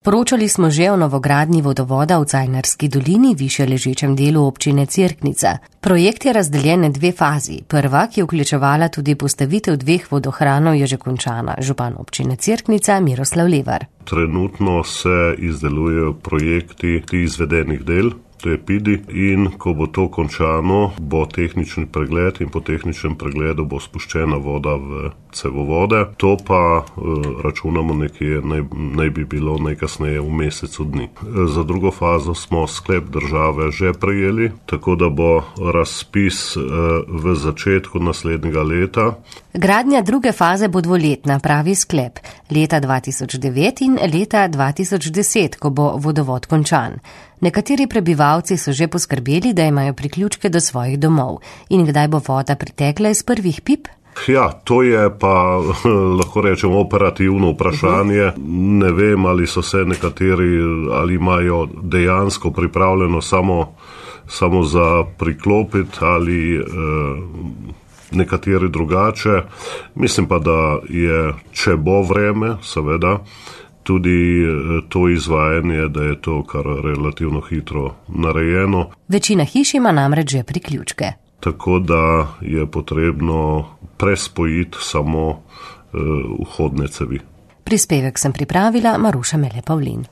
Poročali smo že o novogradnji vodovoda v Cajnarski dolini, višje ležečem delu občine Cerknica. Projekt je razdeljen na dve fazi. Prva, ki je vključevala tudi postavitev dveh vodohranov, je že končana. Župan občine Cerknica Miroslav Levar. Trenutno se izdelujejo projekti izvedenih del, to je PIDI, in ko bo to končano, bo tehnični pregled in po tehničnem pregledu bo spuščena voda v cevovode. To pa računamo nekje, naj bi bilo najkasneje v mesecu dni. Za drugo fazo smo sklep države že prejeli, tako da bo razpis v začetku naslednjega leta. Gradnja druge faze bo dvoletna, pravi sklep. Leta 2009 in leta 2010, ko bo vodovod končan. Nekateri prebivalci so že poskrbeli, da imajo priključke do svojih domov. In kdaj bo voda pritekla iz prvih pip? Ja, to je pa, lahko rečem, operativno vprašanje. Ne vem, ali so se nekateri, ali imajo dejansko pripravljeno samo za priklopiti ali nekateri drugače. Mislim pa, da je, če bo vreme, seveda, tudi to izvajanje, da je to kar relativno hitro narejeno. Večina hiš ima namreč že priključke. Tako da je potrebno prespojiti samo vhodne cevi. Prispevek sem pripravila Maruša Mele Pavlin.